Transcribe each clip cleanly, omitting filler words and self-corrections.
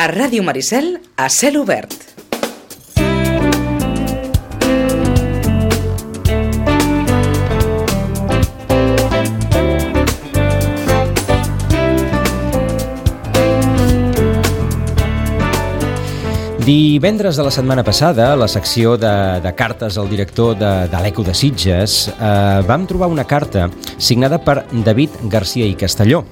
A Ràdio Maricel, a cel obert. Divendres de la setmana passada, a la secció de cartes al director de l'Eco de Sitges, vam trobar una carta signada per David Garcia i Castelló.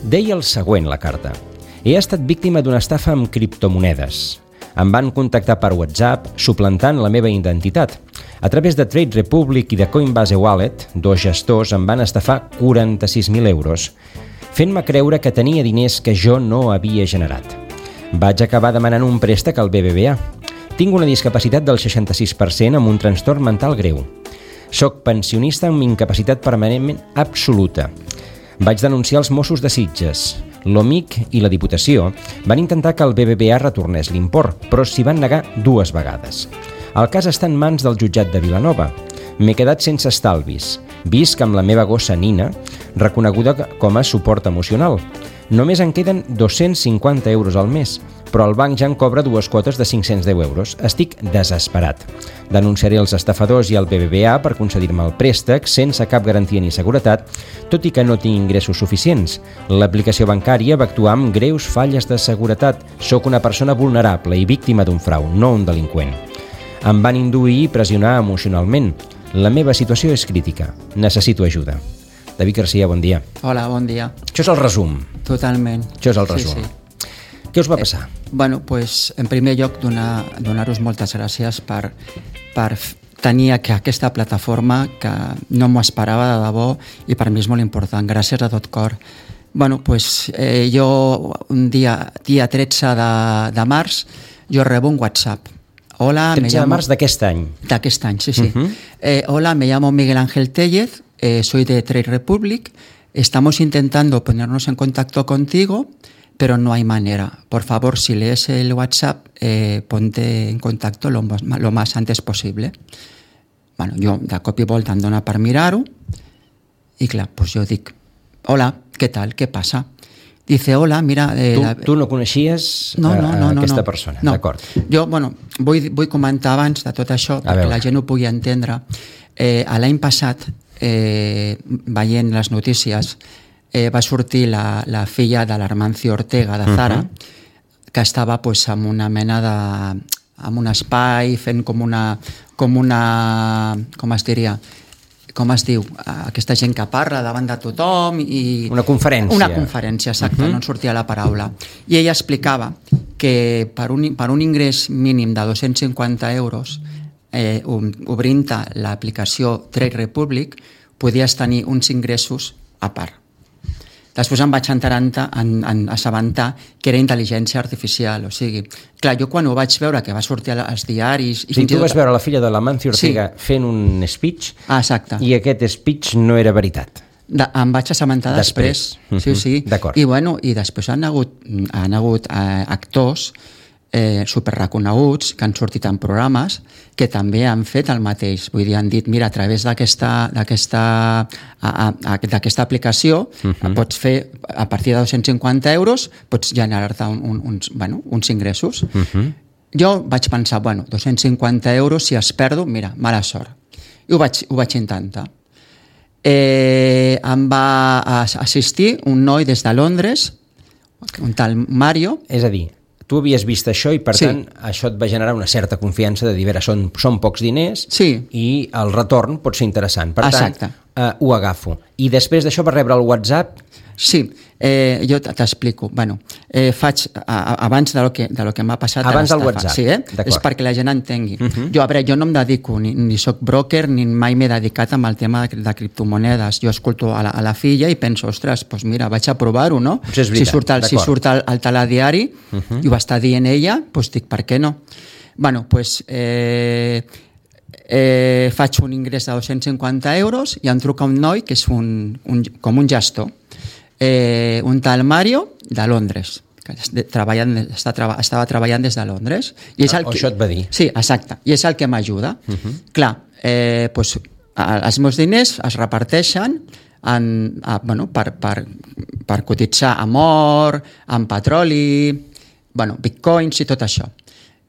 Deia el següent, la carta. He estat víctima d'una estafa amb criptomonedes. Em van contactar per WhatsApp suplantant la meva identitat. A través de Trade Republic i de Coinbase Wallet, dos gestors em van estafar 46.000 euros, fent-me creure que tenia diners que jo no havia generat. Vaig acabar demanant un préstec al BBVA. Tinc una discapacitat del 66% amb un trastorn mental greu. Soc pensionista amb incapacitat permanent absoluta. Vaig denunciar els Mossos de Sitges. L'OMIC i la Diputació van intentar que el BBVA retornés l'import, però s'hi van negar 2 vegades. El cas està en mans del jutjat de Vilanova. M'he quedat sense estalvis. Visc amb la meva gossa Nina, reconeguda com a suport emocional. Només en queden 250 euros al mes, però el banc ja en cobra 2 quotes de 510 euros. Estic desesperat. Denunciaré els estafadors i el BBVA per concedir-me el préstec sense cap garantia ni seguretat, tot i que no tinc ingressos suficients. L'aplicació bancària va actuar amb greus falles de seguretat. Soc una persona vulnerable i víctima d'un frau, no un delinqüent. Em van induir i pressionar emocionalment. La meva situació és crítica. Necessito ajuda. David Garcia, bon dia. Hola, bon dia. Això és el resum. Totalment. Això és el resum. Sí. Què us va passar? Pues, en primer lloc, donar-vos moltes gràcies per tenir aquesta plataforma que no m'ho esperava de debò i per mi és molt important. Gràcies de tot cor. Pues, jo un dia 13 de març, jo rebo un WhatsApp. Hola, 13 de març d'aquest any. D'aquest any, sí. Hola, me llamo Miguel Ángel Tellez, soy de Trade Republic, estamos intentando ponernos en contacto contigo, pero no hay manera. Por favor, si lees el WhatsApp, ponte en contacto lo más antes posible. Jo de cop i volta em dona per mirar-ho i clar, pues jo dic, hola, què tal, què passa? Dice, hola, mira... Tu no coneixies aquesta persona, no. D'acord. Jo, vull comentar abans de tot això, perquè la gent ho pugui entendre. L'any passat, veient les notícies, va sortir la filla de l'Armancio Ortega, de Zara, que estava en una mena de... en un espai, fent com una... com es diria... com es diu, aquesta gent que parla davant de tothom i... Una conferència. Una conferència, exacte, no en sortia la paraula. I ella explicava que per un ingrés mínim de 250 euros, obrint l'aplicació Trade Republic, podies tenir uns ingressos a part. Després em vaig assabentar que era intel·ligència artificial, o sigui, clar, jo quan ho vaig veure que va sortir als diaris... O sigui, tu vas veure la filla de l'Amancio Ortega fent un speech i aquest speech no era veritat. Em vaig assabentar després. Sí. D'acord. I després han hagut actors superreconeguts que han sortit en programes que també han fet el mateix, vull dir, han dit, mira, a través d'aquesta aplicació pots fer, a partir de 250 euros pots generar-te uns ingressos. Jo vaig pensar, 250 euros, si es perdo, mira, mala sort. I ho vaig intentar. Em va assistir un noi des de Londres, un tal Mario. És a dir, tu havies vist això i, per tant, això et va generar una certa confiança de dir, són pocs diners i el retorn pot ser interessant. Per tant, ho agafo. I després d'això va rebre el WhatsApp? Sí, jo t'explico. Faig, abans del que m'ha passat... Abans del WhatsApp. Sí, és perquè la gent entengui. Jo no em dedico, ni soc broker, ni mai m'he dedicat amb el tema de criptomonedes. Jo escolto a la filla i penso, ostres, doncs mira, vaig a provar-ho, no? Si surt al telediari i ho està dient ella, doncs dic, per què no? Faig un ingrés de 250 euros i em truca un noi que és com un gestor. Un tal Mario de Londres, que estava treballant des de Londres. Això et va dir. Sí, exacte, i és el que m'ajuda. Clar, els meus diners es reparteixen per cotitzar amb or, amb petroli, bitcoins i tot això.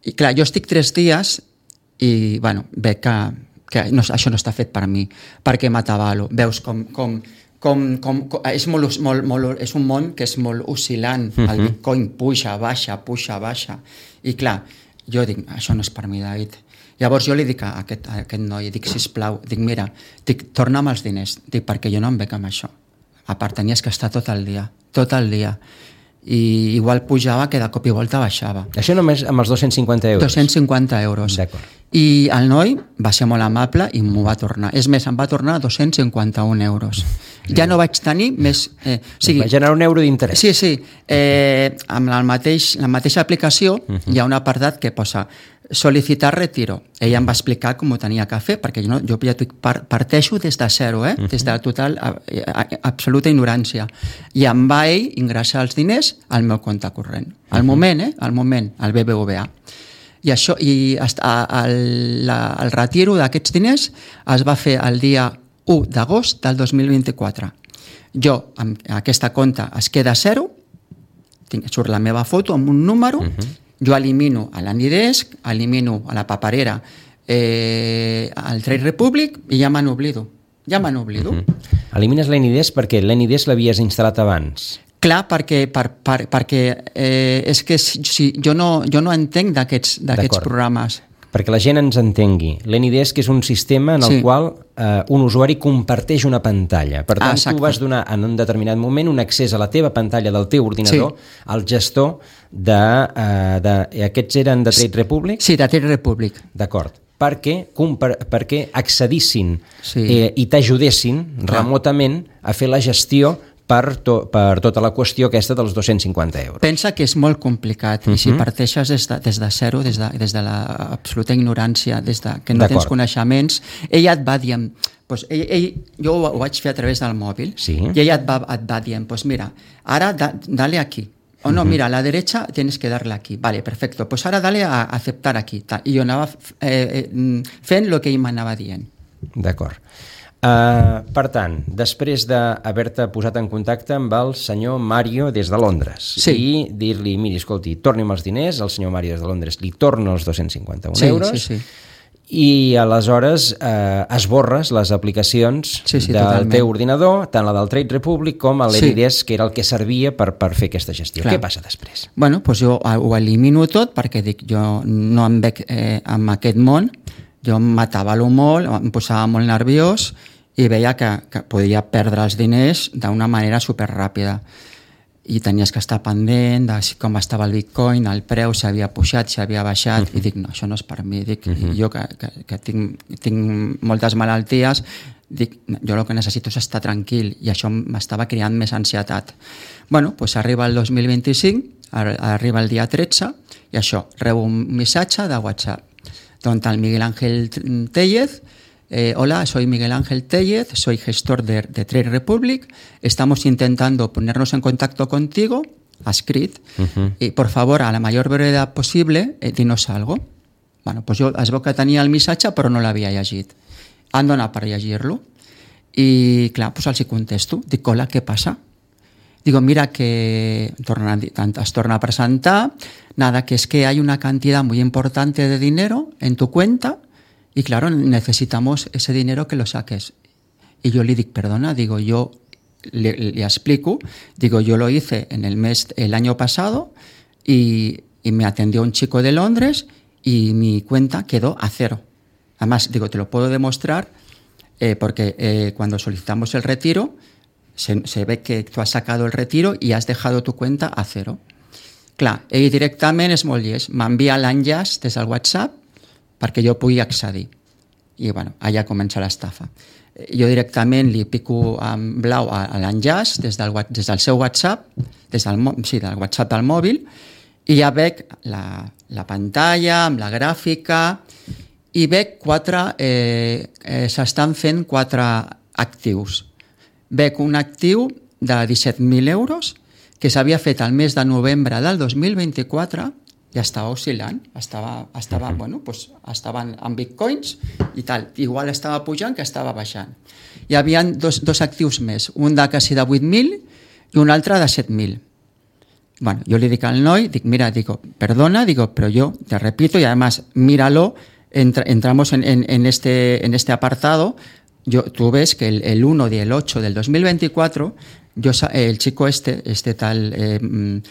I clar, jo estic 3 dies i veig que això no està fet per mi, perquè m'atabalo. Veus com és un món que és molt oscil·lant. El bitcoin puja, baixa. I clar, jo dic, això no és per mi, David. Llavors jo li dic a aquest noi, sisplau, mira, torna'm els diners, perquè jo no em veig amb això. A part, tenies que estar tot el dia. I igual pujava que de cop i volta baixava. Això només amb els 250 euros? 250 euros. D'acord. I el noi va ser molt amable i m'ho va tornar. És més, em va tornar 251 euros. Ja no vaig tenir més... va generar €1 d'interès. Sí. Amb la mateixa aplicació hi ha un apartat que posa sol·licitar retiro. Ella em va explicar com ho tenia que fer, perquè jo parteixo des de zero, des de la total absoluta ignorància. I em va ell ingressar els diners al meu compte corrent. Al moment, al BBVA. I el retiro d'aquests diners es va fer el dia 1 d'agost del 2024. Jo, aquesta compte es queda a zero, surt la meva foto amb un número, jo elimino a l'Anydesk, elimino a la paperera al Trade Republic i ja me n'oblido. Elimines l'Anydesk perquè l'Anydesk l'havies instal·lat abans. Clar, perquè és que jo no entenc d'aquests programes. Perquè la gent ens entengui. L'Anydesk és un sistema en el qual un usuari comparteix una pantalla. Per tant, tu vas donar en un determinat moment un accés a la teva pantalla del teu ordinador al gestor aquests eren de Trade Republic? Sí, de Trade Republic. D'acord. Perquè accedissin i t'ajudessin remotament a fer la gestió per tota la qüestió aquesta dels 250 euros. Pensa que és molt complicat i si parteixes des de zero, des de l'absoluta ignorància, des de que no tens coneixements, ella et va dient, jo ho vaig fer a través del mòbil, i ella et va dient, mira, ara dale aquí, o no, mira, a la derecha tienes que darle aquí, vale, perfecto, pues ahora dale a aceptar aquí, i jo anava fent el que ell m'anava dient. D'acord. Per tant, després d'haver-te posat en contacte amb el senyor Mario des de Londres i dir-li, miri, escolti, torni'm els diners, el senyor Mario des de Londres li torna els 251 euros i aleshores esborres les aplicacions del teu ordinador, tant la del Trade Republic com l'Anydesk, que era el que servia per fer aquesta gestió. Què passa després? Bueno, doncs jo ho elimino tot perquè dic, jo no em veig en aquest món, jo m'atabalo molt, em posava molt nerviós i veia que podia perdre els diners d'una manera superràpida i tenies que estar pendent de com estava el bitcoin, el preu, si havia pujat, si havia baixat, i dic, no, això no és per mi, dic, jo que tinc moltes malalties, dic, jo el que necessito és estar tranquil i això m'estava creant més ansietat. Bueno, doncs arriba el 2025, arriba el dia 13 i això, rebo un missatge de WhatsApp donde el Miguel Ángel Tellez, hola, soy Miguel Ángel Tellez, soy gestor de Trade Republic, estamos intentando ponernos en contacto contigo, ha escrit, y por favor, a la mayor brevedad posible, dinos algo. Bueno, pues jo es veu que tenia el missatge però no l'havia llegit. Han donat per llegir-lo i clar, pues els hi contesto, dic, hola, què passa? Digo, mira que es torna a presentar, nada, que es que hay una cantidad muy importante de dinero en tu cuenta y claro, necesitamos ese dinero que lo saques. Y yo le digo, perdona, digo, yo le explico, digo, yo lo hice en el año pasado y me atendió un chico de Londres y mi cuenta quedó a cero. Además, digo, te lo puedo demostrar porque cuando solicitamos el retiro, se ve que tú has sacado el retiro i has dejado tu cuenta a cero. Clar, ell directament és molt llest, m'envia l'enllaç des del WhatsApp perquè jo pugui accedir. I bueno, allà comença l'estafa. Jo directament li pico en blau a l'enllaç des del seu WhatsApp, del WhatsApp del mòbil, i ja veig la pantalla amb la gràfica i veig s'estan fent 4 actius. Veig un actiu de 17.000 euros que s'havia fet al mes de novembre del 2024 i estava oscil·lant, bueno, pues, estaven en bitcoins i tal, igual estava pujant que estava baixant. Hi havia dos actius més, un de quasi de 8.000 i un altre de 7.000. Bueno, yo le digo al noi, mira, perdona, pero yo te repito, y además míralo, entramos en este apartado. Tú ves que el 1 del 8 del 2024, el chico este tal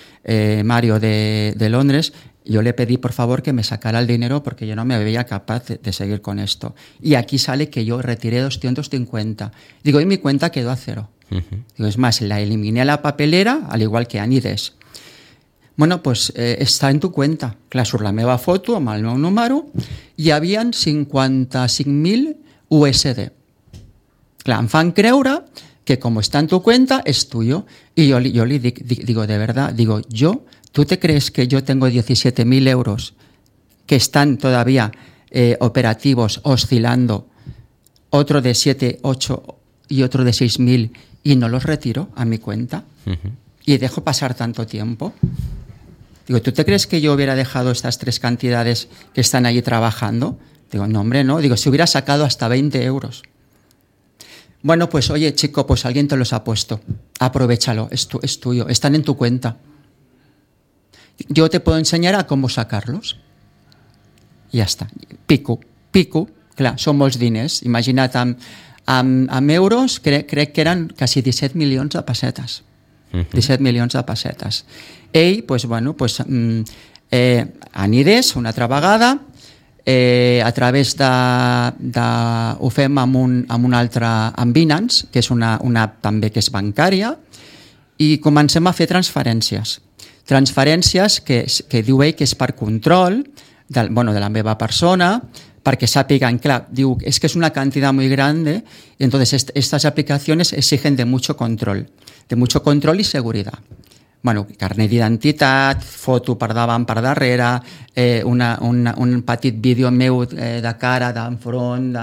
Mario de Londres, yo le pedí por favor que me sacara el dinero porque yo no me veía capaz de seguir con esto. Y aquí sale que yo retiré 250. Y mi cuenta quedó a cero. Es más, la eliminé a la papelera, al igual que Anides. Bueno, pues està en tu cuenta. Clar, surt la meva foto amb el meu número i hi havia 55.000 USD. Clar, em fan creure que como está en tu cuenta es tuyo. Y yo le digo, de verdad, ¿tú te crees que yo tengo 17.000 euros que están todavía operativos, oscilando, otro de 7, 8 y otro de 6.000 y no los retiro a mi cuenta? Y dejo pasar tanto tiempo. ¿Tú te crees que yo hubiera dejado estas 3 cantidades que están allí trabajando? No, hombre, no. Si hubiera sacado hasta 20 euros. Bueno, pues oye, chico, pues alguien te los ha puesto. Aprovéchalo, es tuyo, están en tu cuenta. Yo te puedo enseñar a cómo sacarlos. I ja està. Pico. Clar, són molts diners. Imagina't, amb euros crec que eren quasi 17 milions de pessetes. 17 milions de pessetes. Ell, Anides, una altra vegada, a través ho fem amb un altre, amb Binance, que és una app també que és bancària, i comencem a fer transferències que diu ell que és per control de la meva persona, perquè sàpiguen, clar, diu, es que es una cantidad muy grande, y entonces estas aplicaciones exigen de mucho control y seguridad. Bueno, carnet d'identitat, foto per davant, per darrere, un petit vídeo meu de cara, d'enfront,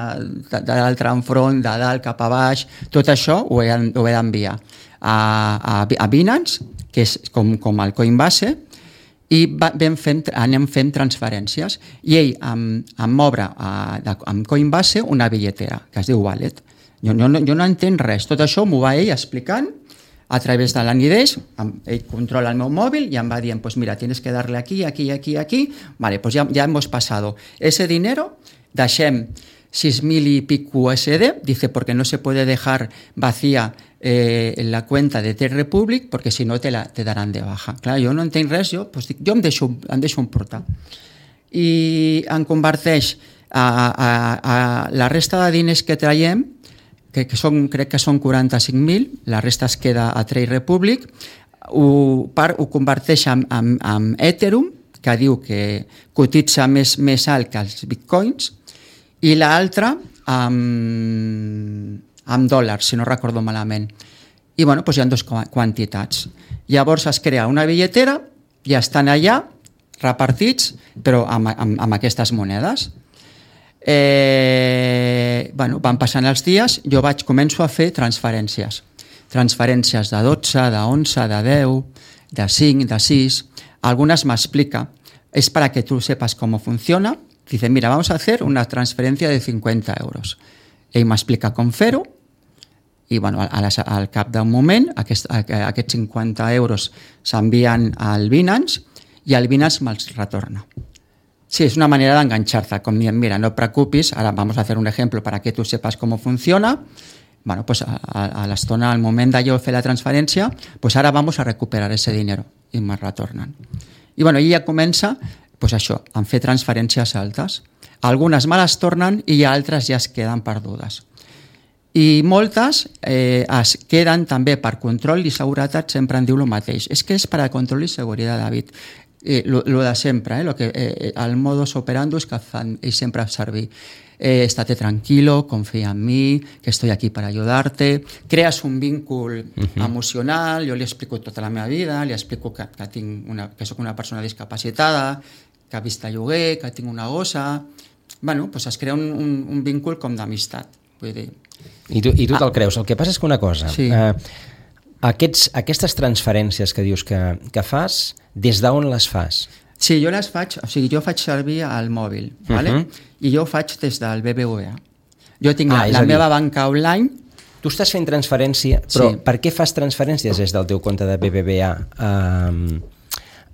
de l'altre enfront, de dalt cap a baix, tot això ho he d'enviar a Binance, que és com el Coinbase, i anem fent transferències. I ell em obre amb Coinbase una billetera, que es diu Wallet. Jo no entenc res, tot això m'ho va ell explicant a través de l'Anides. Ell controla el meu mòbil y em va dient, pues mira, tienes que darle aquí, vale, pues ya hemos pasado ese dinero, deixem 6.000 y pico USD, dice, porque no se puede dejar vacía la cuenta de Trade Republic, porque si no te darán de baja. Clar, jo no entenc res, jo em deixo emportar. I em converteix a la resta de diners que traiem, crec que són 45.000, la resta es queda a Trade Republic, ho converteix en Ethereum, que diu que cotitza més alt que els bitcoins, i l'altra amb dòlars, si no recordo malament. I bueno, doncs hi ha 2 quantitats. Llavors es crea una billetera i estan allà repartits, però amb aquestes monedes. Van passant els dies, jo començo a fer transferències de 12, de 11, de 10, de 5, de 6. Algunas me explica, es para que tú sepas cómo funciona. Dice, mira, vamos a hacer una transferencia de 50 euros. Ell m'explica com fer-ho, i bueno, al cap d'un moment aquests 50 euros s'envien al Binance i el Binance me'ls retorna. Sí, es una manera de engancharte, como bien, mira, no te preocupes, ahora vamos a hacer un ejemplo para que tú sepas cómo funciona. Bueno, pues a l'estona, al moment de jo fer la transferència, pues ara vamos a recuperar ese dinero i me retornen. I bueno, ja comença, pues això, a fer transferències altes. Algunes me les tornen i altres ja es queden perdudes. I moltes es queden també per control i seguretat, sempre en diu el mateix. És que és per a control i seguretat, David. Lo de sempre, el modus operandus que fan ells sempre servir. Estate tranquilo, confía en mí, que estoy aquí para ayudarte. Creas un vínculo emocional, jo li explico tota la meva vida, li explico que soc una persona discapacitada, que vist a lloguer, que tinc una gossa. Bueno, pues es crea un vínculo com d'amistat. Vull dir... I tu te'l creus. El que passa és que una cosa... Sí. Aquestes transferències que dius que fas, des d'on les fas? Sí, jo les faig, jo faig servir al mòbil, ¿vale? I jo ho faig des del BBVA. Jo tinc la meva banca online. Tu estàs fent transferència, però sí. Per què fas transferències des del teu compte de BBVA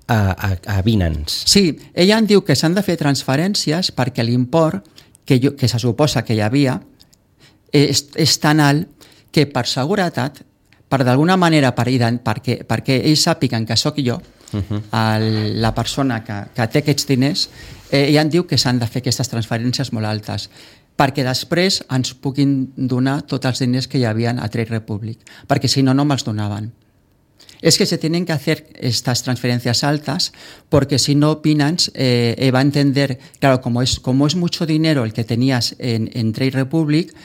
a Binance. Sí, ella em diu que s'han de fer transferències perquè l'import que se suposa que hi havia és tan alt que per seguretat, per d'alguna manera perquè ells sàpiguen que sóc jo, la persona que té aquests diners, ella em diu que s'han de fer aquestes transferències molt altes perquè després ens puguin donar tots els diners que hi havia a Trade Republic, perquè si no, no me'ls donaven. Es que se tienen que hacer estas transferencias altas porque si no Binance va a entender, claro, como es mucho dinero el que tenías en Trade Republic,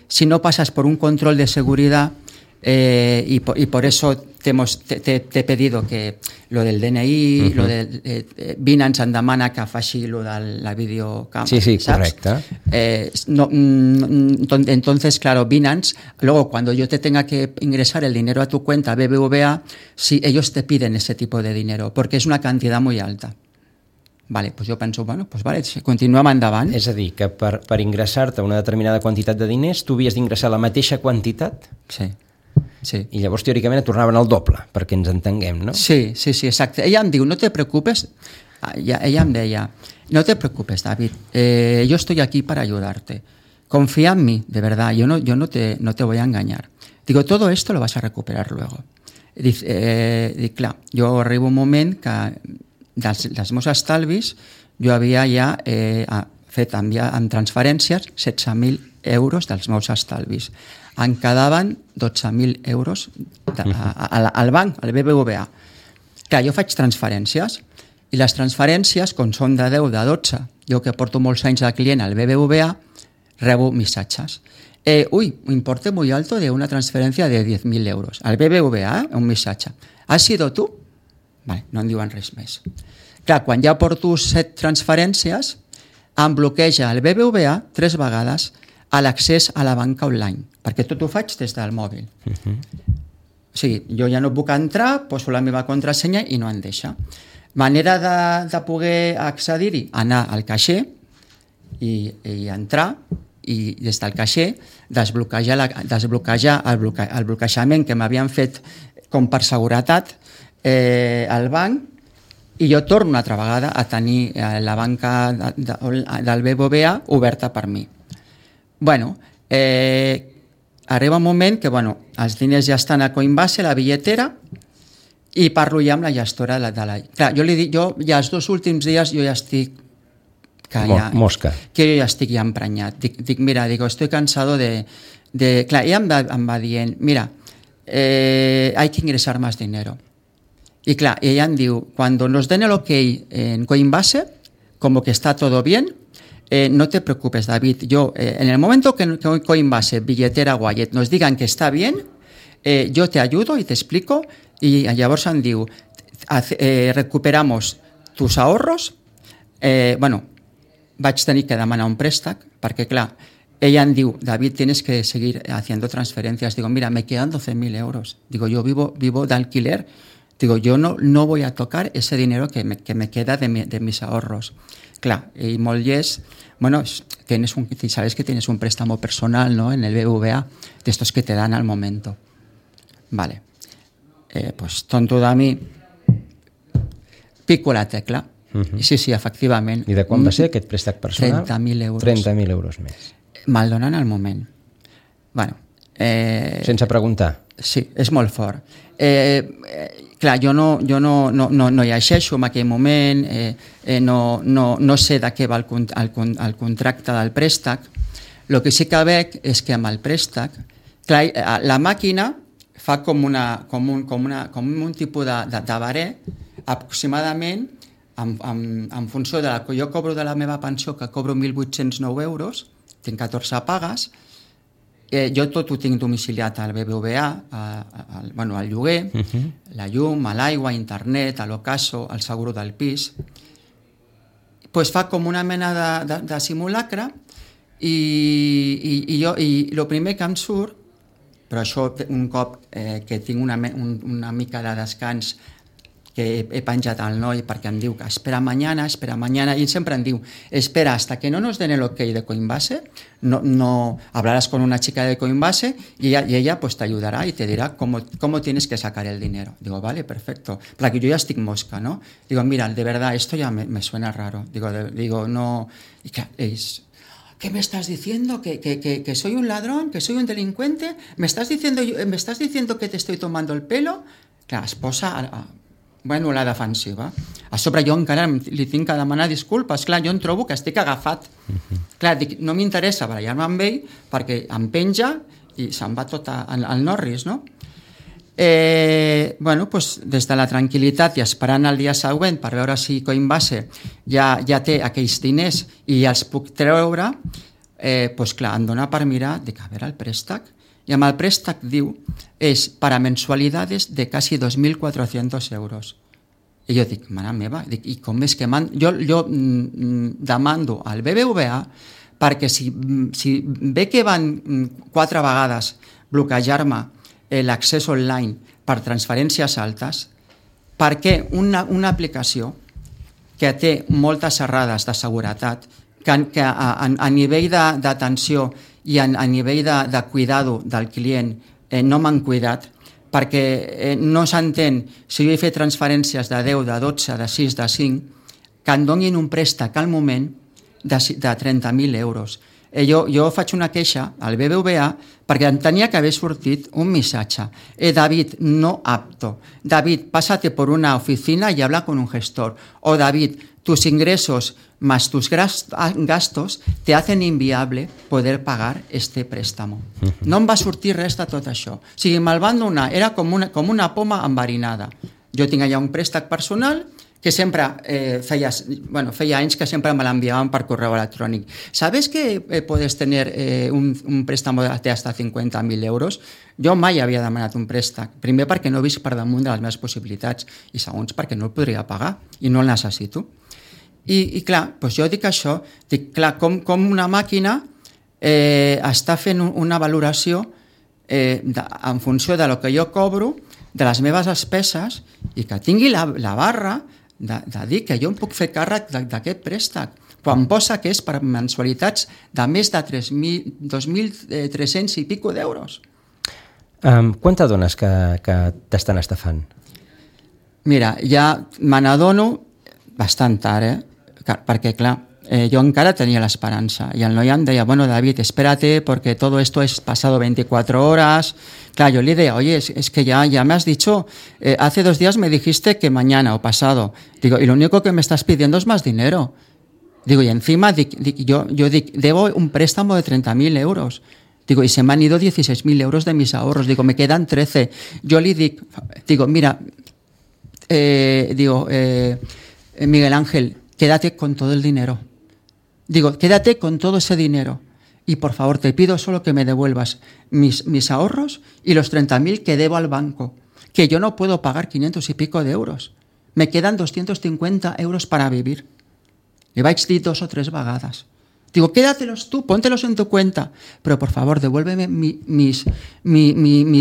si no pasas por un control de seguridad y por eso te he pedido que lo del DNI, lo del Binance em demana que faci lo de la videocàmera. Sí, correcte. Entonces, claro, Binance, luego cuando yo te tenga que ingresar el dinero a tu cuenta BBVA, sí, ellos te piden ese tipo de dinero, porque es una cantidad muy alta. Vale, pues jo penso, bueno, pues vale, continuem endavant. És a dir, que per ingressar-te una determinada quantitat de diners, tu havies d'ingressar la mateixa quantitat? Sí. I llavors, teòricament, et tornaven el doble, perquè ens entenguem, no? Sí, exacte. Ella em diu, no te preocupes, ella em deia, no te preocupes, David, yo estoy aquí para ayudarte. Confía en mí, de verdad, yo no te voy a engañar. Digo, todo esto lo vas a recuperar luego. Dic, clar, jo arribo un moment que dels meus estalvis jo havia ja fet en transferències 16.000 euros dels meus estalvis. Em quedaven 12.000 euros al banc, al BBVA. Clar, jo faig transferències i les transferències, com són de 10, de 12, jo que porto molts anys de client al BBVA, rebo missatges. Importe muy alto de una transferencia de 10.000 euros. Al BBVA, un missatge. ¿Has sido tú? Vale, no em diuen res més. Clar, quan ja porto 7 transferències, em bloqueja el BBVA 3 vegades a l'accés a la banca online, perquè tot ho faig des del mòbil. O sigui, jo ja no puc entrar, poso la meva contrasenya i no em deixa. Manera de poder accedir-hi, anar al caixer i entrar, i des del caixer desbloquejar el bloquejament que m'havien fet com per seguretat al banc, i jo torno una altra vegada a tenir la banca del BBVA oberta per mi. Bueno, arriba un moment que els diners ja estan a Coinbase, la billetera, i parlo ja amb la gestora de la... Clar, jo li dic, ja els 2 últims dies jo ja estic... Mosca. Que jo ja estic ja emprenyat. Dic, mira, estoy cansado de... Clar, ella em va dient, mira, hay que ingresar más dinero. Y claro, ella em diu, cuando nos den el ok en Coinbase, como que está todo bien, no te preocupes, David, yo en el momento que Coinbase, billetera, wallet, nos digan que está bien, yo te ayudo y te explico, y llavors em diu, recuperamos tus ahorros, vaig tenir que demanar un préstec, perquè clar, ella em diu, David, tienes que seguir haciendo transferencias. Digo, mira, me quedan 12.000 euros. Digo, yo vivo de alquiler. Digo, yo no voy a tocar ese dinero que me queda de mis ahorros. Clar, y molt llest, sabes que tienes un préstamo personal, ¿no?, en el BBVA, de estos que te dan al momento. Vale. Pues tonto de mi, pico la tecla. Sí, efectivament. I de quan va ser aquest préstec personal? 30.000 euros. 30.000 euros més. Me'l donen al moment. Sense preguntar. Sí, és molt fort. Clar, jo no llegeixo en aquell moment, no sé de què va el contracte del préstec. El que sí que veig és que amb el préstec, clar, la màquina fa com un tipus de baré, aproximadament, en funció de la que jo cobro de la meva pensió, que cobro 1.809 euros, tinc 14 pagues, jo tot ho tinc domiciliat al BBVA, al lloguer, la llum, l'aigua, internet, l'ocaso, el seguro del pis. Pues fa com una mena de simulacre i el primer que em surt, però això un cop que tinc una mica de descans que he penjat al noi perquè em diu que espera mañana, i sempre em diu, espera hasta que no nos den el ok de Coinbase, no hablarás con una chica de Coinbase y ella pues te ayudará y te dirá cómo tienes que sacar el dinero. Digo, vale, perfecto. Perquè jo ja estic mosca, ¿no? Digo, mira, de verdad, esto ya me suena raro. Digo, no... ¿Y qué es? ¿Qué me estás diciendo? ¿Que soy un ladrón? ¿Que soy un delincuente? ¿Me estás diciendo que te estoy tomando el pelo? Clar, es posa... Bueno, la defensiva. A sobre jo encara li tinc que demanar disculpes. Clar, jo em trobo que estic agafat. Clar, dic, no m'interessa barallar-me amb ell perquè em penja i se'n va tot al Norris, no? Bueno, pues, des de la tranquil·litat i esperant el dia següent per veure si Coinbase ja té aquells diners i els puc treure, pues clar, em dona per mirar, dic, a veure el préstec, i amb el préstec diu és para mensualidades de casi 2.400 euros. I jo dic, mare meva, i com és que jo demando al BBVA perquè si ve que van 4 vegades bloquejar-me l'accés online per transferències altes, perquè una aplicació que té moltes errades de seguretat, que a nivell d'atenció i a nivell de cuidado del client no m'han cuidat, perquè no s'entén si jo he fet transferències de 10, de 12, de 6, de 5, que em donin un préstec al moment de 30.000 euros. Jo faig una queixa al BBVA perquè em tenia que haver sortit un missatge. David, no apto. David, pásate por una oficina y habla con un gestor. O David, tus ingresos más tus gastos te hacen inviable poder pagar este préstamo. No em va sortir res de tot això. O sigui, me'l van donar, era com una poma enverinada. Jo tinc allà un préstec personal que sempre feia anys que sempre me l'enviaven per correu electrònic. ¿Sabes que puedes tener un préstamo de hasta 50.000 euros? Jo mai havia demanat un préstec. Primer perquè no he vist per damunt de les meves possibilitats i segons perquè no el podria pagar i no el necessito. I clar, doncs jo dic això, clar, com una màquina està fent una valoració en funció de lo que jo cobro, de les meves despeses, i que tingui la barra de dir que jo em puc fer càrrec d'aquest préstec, quan posa que és per mensualitats de més de 2.300 i pico d'euros. Quan t'adones que t'estan estafant? Mira, ja me n'adono bastant tard, perquè clar, jo encara tenia l'esperança i el noi em deia, bueno David, espérate porque todo esto es pasado 24 horas. Claro, yo le decía, oye, es que ya me has dicho, hace 2 días me dijiste que mañana o pasado. Digo, y lo único que me estás pidiendo es más dinero. Digo, y encima yo debo un préstamo de 30.000 euros. Digo, y se me han ido 16.000 euros de mis ahorros. Digo, me quedan 13. Yo le digo, mira, Miguel Ángel, quédate con todo el dinero. Digo, quédate con todo ese dinero y por favor te pido solo que me devuelvas mis ahorros y los 30.000 que debo al banco, que yo no puedo pagar 500 y pico de euros. Me quedan 250 euros para vivir. Le vaig dir 2 o 3 vegades. Digo, quédatelos tú, póntelos en tu cuenta, pero por favor devuélveme mi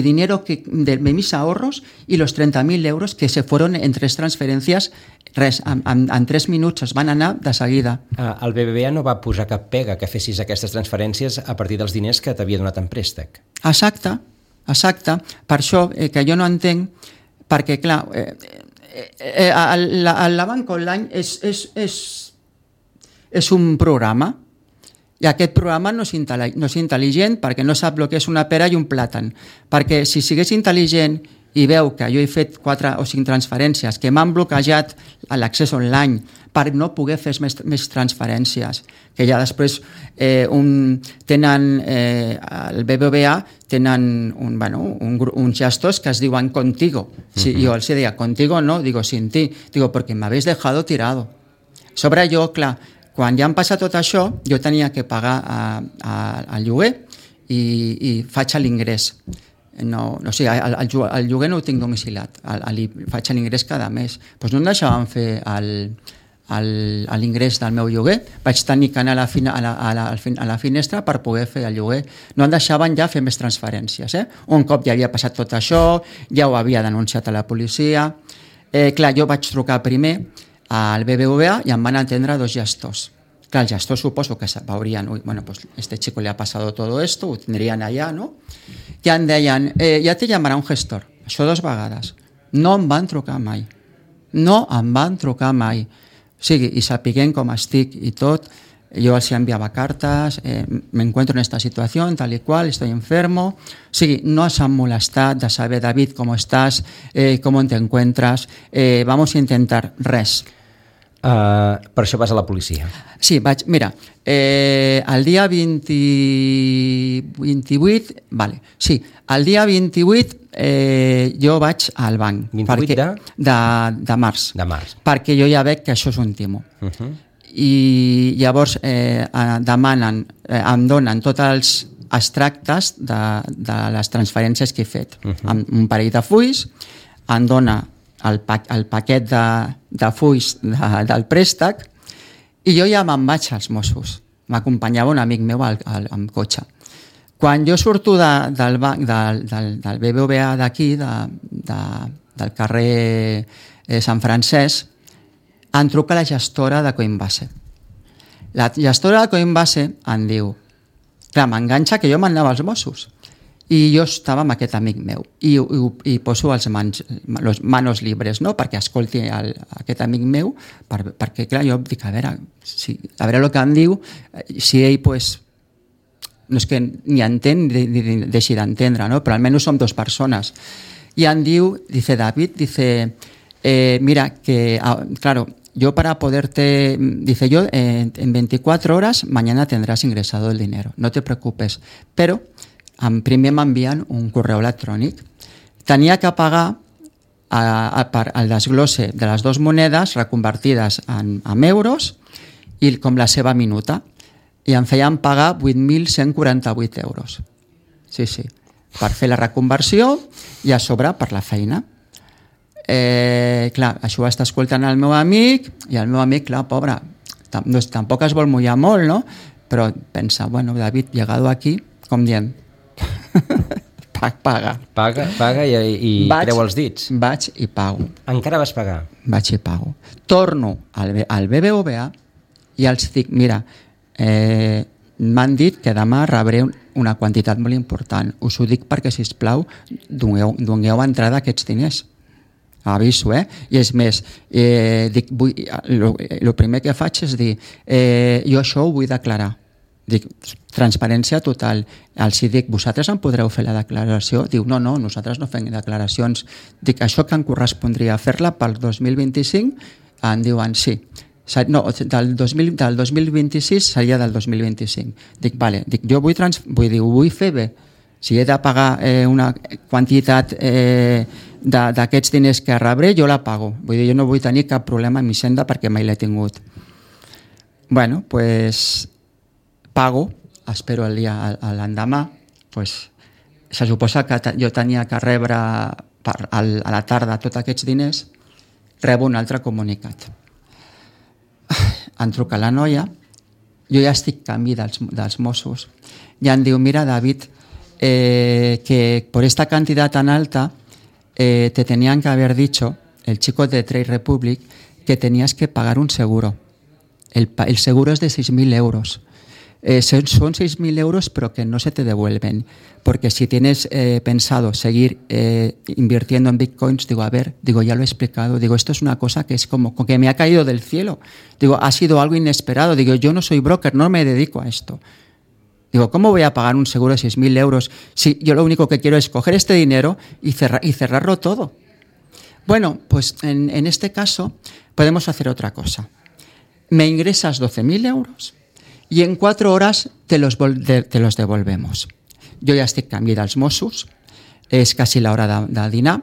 dinero de mis ahorros y los 30.000 euros que se fueron en 3 transferències. Res, en 3 minuts es van anar de seguida. El BBVA no va posar cap pega que fessis aquestes transferències a partir dels diners que t'havia donat en préstec. Exacte. Per això que jo no entenc, perquè clar, la banca online és un programa, i aquest programa no és intel·ligent perquè no sap el que és una pera i un plàtan. Perquè si sigués intel·ligent i veu que jo he fet 4 o 5 transferències que m'han bloquejat l'accés online per no poder fer més transferències, que ja després tenen el BBVA tenen uns gestors que es diuen contigo. Jo els deia contigo no, digo sin ti, digo perquè m'habéis dejado tirado. Sobre jo, clar, quan ja em passa tot això, jo tenia que pagar el lloguer i faig l'ingrés. O sigui, el lloguer no ho tinc domicilat, faig l'ingrés cada mes. Doncs no em deixaven fer l'ingrés del meu lloguer, vaig tenir que anar a la finestra per poder fer el lloguer. No em deixaven ja fer més transferències. Un cop ja havia passat tot això, ja ho havia denunciat a la policia. Clar, jo vaig trucar primer al BBVA i em van atendre 2 gestors. Clar, el gestor suposo que veurien, bueno, pues este chico le ha pasado todo esto, ho tindrien allà, no? I em deien, ja te llamarà un gestor. Això 2 vegades. No em van trucar mai. No em van trucar mai. O sigui, i sapiguent com estic i tot, yo els enviava cartes, me encuentro en esta situación, tal y cual, estoy enfermo. O sigui, no s'han molestat de saber, David, ¿cómo estás? ¿Cómo te encuentras? Vamos a intentar res. Per això vas a la policia. Sí, vaig, mira, el dia 28, vale, sí, el dia 28 jo vaig al banc. 28 de març. De març. Perquè jo ja veig que això és un timo. I llavors em donen tots els extractes de les transferències que he fet. Amb un parell de fulls, em dona el paquet de fulls del préstec i jo ja me'n vaig als Mossos. M'acompanyava un amic meu amb cotxe. Quan jo surto del banc del BBVA d'aquí, del carrer Sant Francesc, em truca la gestora de Coinbase. La gestora de Coinbase em diu, clar, m'enganxa que jo m'anava als Mossos i jo estava amb aquest amic meu i poso les manos libres, no?, perquè escolti aquest amic meu, perquè clar, jo dic, a veure el que em diu, si ell pues, no és que ni entén ni deixi d'entendre, no?, però almenys som 2 persones. I em diu, dice David, dice, mira, que claro, yo para poderte, dice yo, en 24 horas mañana tendrás ingresado el dinero, no te preocupes, pero primer m'envien un correu electrònic. Tenia que pagar el desglose de les 2 monedes reconvertides en euros i com la seva minuta, i em feien pagar 8.148 euros. Sí, per fer la reconversió i a sobre per la feina. Clar, això ho està escoltant el meu amic i el meu amic, clar, pobre, tampoc es vol mullar molt, no? Però pensa, bueno, David, llegado aquí, com diem, paga i creu els dits. Vaig i pago. Encara vas pagar? Vaig i pago. Torno al BBVA i els dic, mira, m'han dit que demà rebré una quantitat molt important. Us ho dic perquè, sisplau, dongueu entrada a aquests diners. Aviso, I és més, dic, el primer que faig és dir, jo això ho vull declarar. Dic, transparència total. Els dic, vosaltres em podreu fer la declaració? Diu, no, nosaltres no fem declaracions. Dic, això que em correspondria fer-la pel 2025? Em diuen, sí. No, del 2026 seria del 2025. Dic, vale, jo ho vull fer bé. Si he de pagar una quantitat d'aquests diners que rebré, jo la pago. Vull dir, jo no vull tenir cap problema amb Hisenda perquè mai l'he tingut. Bueno, pues pago, espero el dia l'endemà, pues se suposa que jo tenia que rebre a la tarda tots aquests diners, rebo un altre comunicat. Em truca la noia, jo ja estic canvi dels Mossos, i em diu, mira, David, que por esta cantidad tan alta te tenían que haber dicho, el chico de Trade Republic, que tenías que pagar un seguro. El seguro es de 6.000 euros. Son 6.000 euros, pero que no se te devuelven. Porque si tienes pensado seguir invirtiendo en bitcoins, digo, ya lo he explicado, digo, esto es una cosa que es como que me ha caído del cielo. Digo, ha sido algo inesperado. Digo, yo no soy broker, no me dedico a esto. Digo, ¿cómo voy a pagar un seguro de 6.000 euros si yo lo único que quiero es coger este dinero y cerrarlo todo? Bueno, pues en este caso podemos hacer otra cosa. Me ingresas 12.000 euros i en 4 horas te los devolvemos. Jo ja estic canvi dels Mossos, és quasi l'hora de dinar.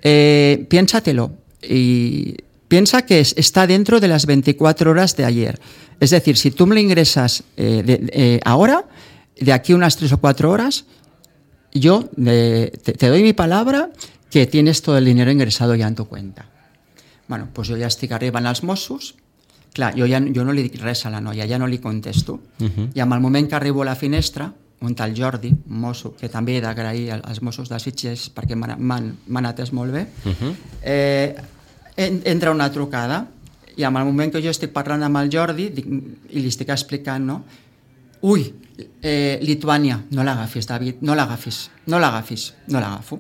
Piénsatelo y piensa que está dentro de las 24 horas de ayer. Es decir, si tú me lo ingresas ahora, de aquí unas 3 o 4 horas, yo te doy mi palabra que tienes todo el dinero ingresado ya en tu cuenta. Bueno, pues jo ja estic arribant als Mossos. Clar, jo no li dic res a la noia, ja no li contesto. I en el moment que arribo a la finestra, un tal Jordi, un mosso, que també he d'agrair als Mossos de Sitges perquè m'han atès molt bé, entra una trucada i en el moment que jo estic parlant amb el Jordi i li estic explicant, no? Ui, Lituània, no l'agafis, David, no l'agafis, no l'agafo.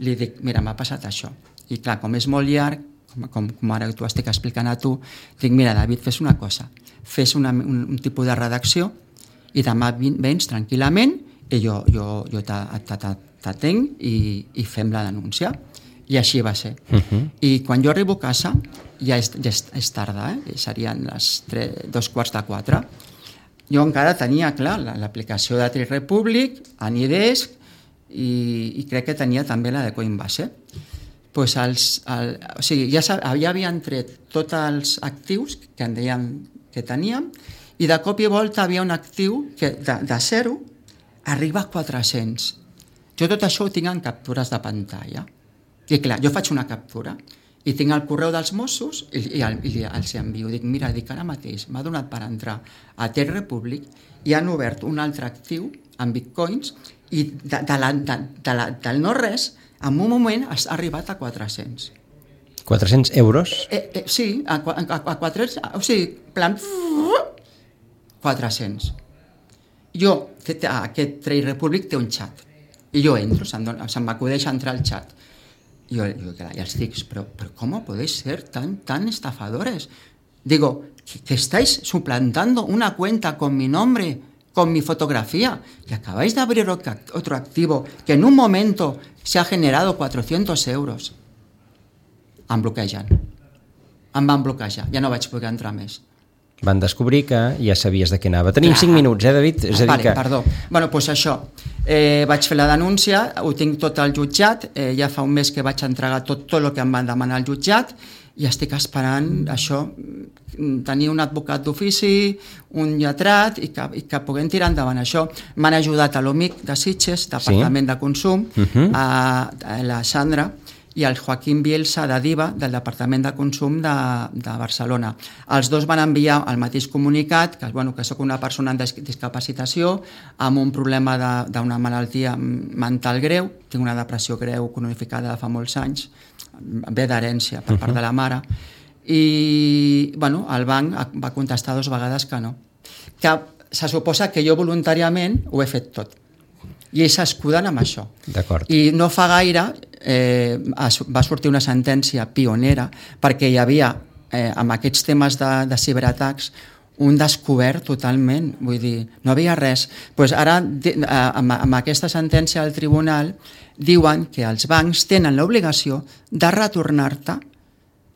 Li dic, mira, m'ha passat això. I clar, com és molt llarg, com ara t'ho estic explicant a tu, dic, mira, David, fes una cosa, fes un tipus de redacció i demà vens tranquil·lament i jo t'atenc i fem la denúncia. I així va ser. I quan jo arribo a casa, ja és tarda, serien les 3:45. Jo encara tenia, clar, l'aplicació de TriRepublic, Anydesk, i crec que tenia també la de Coinbase. Pues o sigui, ja havien tret tots els actius que en deien que teníem, i de cop i volta havia un actiu que de 0 arriba a 400. Jo tot això ho tinc en captures de pantalla. I clar, jo faig una captura i tinc el correu dels Mossos i els envio. Dic, mira, ara mateix m'ha donat per entrar a TriRepublic i han obert un altre actiu en bitcoins i del no res, en un moment has arribat a 400. 400 euros? Sí, a 400, o sigui, plan 400. Aquest TriRepublic té un xat i jo entro, se'm m'acudeix entrar al xat. Yo els dic, pero ¿cómo podéis ser tan estafadores? Digo, que estáis suplantando una cuenta con mi nombre, con mi fotografía, y acabáis de abrir otro activo que en un momento se ha generado 400 euros. Em van bloquejar, ja no vaig poder entrar més. Van descobrir que ja sabies de què anava. Tenim 5 minuts, David? És a dir que... Perdó. Bueno, doncs això. Vaig fer la denúncia, ho tinc tot al jutjat, ja fa un mes que vaig entregar tot el que em van demanar al jutjat i estic esperant això, tenir un advocat d'ofici, un lletrat i que puguem tirar endavant això. M'han ajudat a l'OMIC de Sitges, Departament de Consum, a la Sandra i el Joaquim Bielsa de DIVA, del Departament de Consum de Barcelona. Els dos van enviar el mateix comunicat, que soc una persona amb discapacitació, amb un problema d'una malaltia mental greu, tinc una depressió greu cronificada de fa molts anys, ve d'herència per part de la mare, i el banc va contestar 2 vegades que no. Que se suposa que jo voluntàriament ho he fet tot. I ells s'escuden amb això. I no fa gaire va sortir una sentència pionera perquè hi havia, amb aquests temes de ciberatacs, un descobert totalment, vull dir, no havia res. Pues ara, amb aquesta sentència del tribunal, diuen que els bancs tenen l'obligació de retornar-te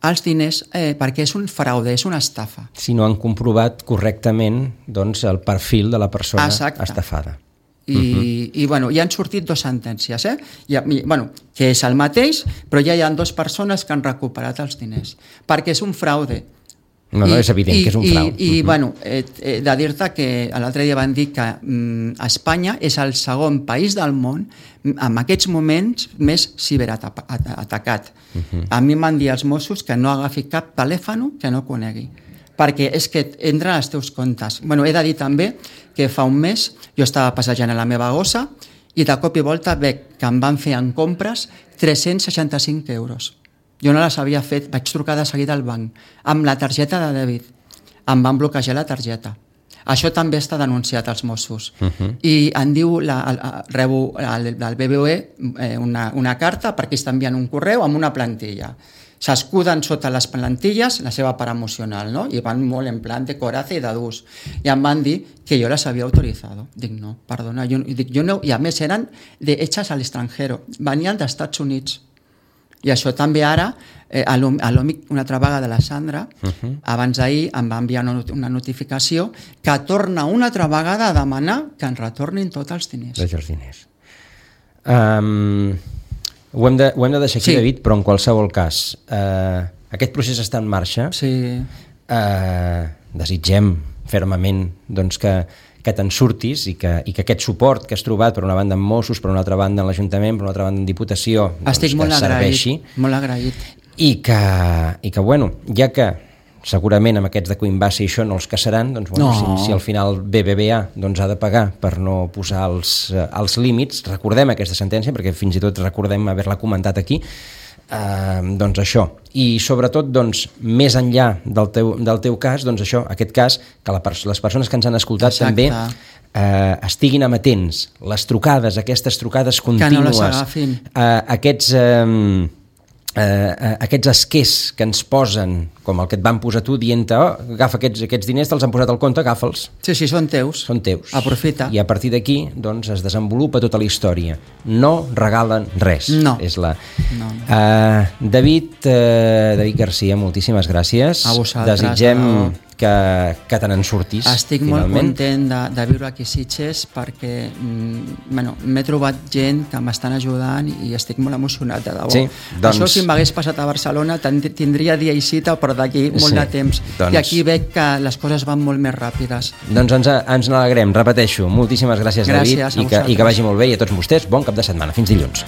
els diners perquè és un fraude, és una estafa. Si no han comprovat correctament el perfil de la persona estafada. I ja han sortit 2 sentències, que és el mateix, però ja hi ha 2 persones que han recuperat els diners, perquè és un fraude. No, és evident que és un frau. I de dir-te que l'altre dia van dir que Espanya és el segon país del món en aquests moments més ciberatacat. A mi m'han dit els Mossos que no agafi cap telèfon que no conegui, perquè és que entren als teus comptes. He de dir també que fa un mes jo estava passejant a la meva gossa i de cop i volta veig que em van fer en compres 365 euros. Jo no les havia fet, vaig trucar de seguida al banc amb la targeta de dèbit. Em van bloquejar la targeta. Això també està denunciat als Mossos. I em diu, rebo del BBVA una carta perquè ells t'envien un correu amb una plantilla. S'escuden sota les plantilles la seva part emocional, no? I van molt en plan de coraje i de durs. I em van dir que jo les havia autoritzat. Dic, no, perdona, jo no. I a més eren hechas al extranjero, venien dels Estats Units. I això també ara, a l'OMIC, una altra vegada de la Sandra, abans d'ahir em va enviar una notificació que torna una altra vegada a demanar que ens retornin tots els diners. Tots els diners. Ho hem de deixar aquí, David, però en qualsevol cas, aquest procés està en marxa. Desitgem fermament que te'n surtis i que aquest suport que has trobat, per una banda amb Mossos, per una altra banda en l'Ajuntament, per una altra banda en Diputació, estic molt agraït. I que, ja que segurament amb aquests de Coinbase i això no els caçaran, si al final BBVA ha de pagar per no posar els límits, recordem aquesta sentència, perquè fins i tot recordem haver-la comentat aquí, doncs això, i sobretot doncs, més enllà del teu cas, doncs això, aquest cas, que les persones que ens han escoltat també estiguin amatents, les trucades, aquestes trucades contínues, que no les agafin, aquests esquers que ens posen, com el que et van posar tu, dient-te, agafa aquests diners, te'ls han posat al compte, agafa'ls. Sí, són teus. Són teus. Aprofita. I a partir d'aquí, doncs, es desenvolupa tota la història. No regalen res. No. És David Garcia, moltíssimes gràcies. A vosaltres. Desitgem que te n'en surtis. Estic finalment. Molt content de viure aquí a Sitges perquè m'he trobat gent que m'estan ajudant i estic molt emocionat, de debò. Sí, doncs... Això, si m'hagués passat a Barcelona, tindria dia i cita, però d'aquí molt de temps. I aquí veig que les coses van molt més ràpides. Doncs ens n'alegrem, repeteixo. Moltíssimes gràcies, David, i que vagi molt bé, i a tots vostès, bon cap de setmana. Fins dilluns.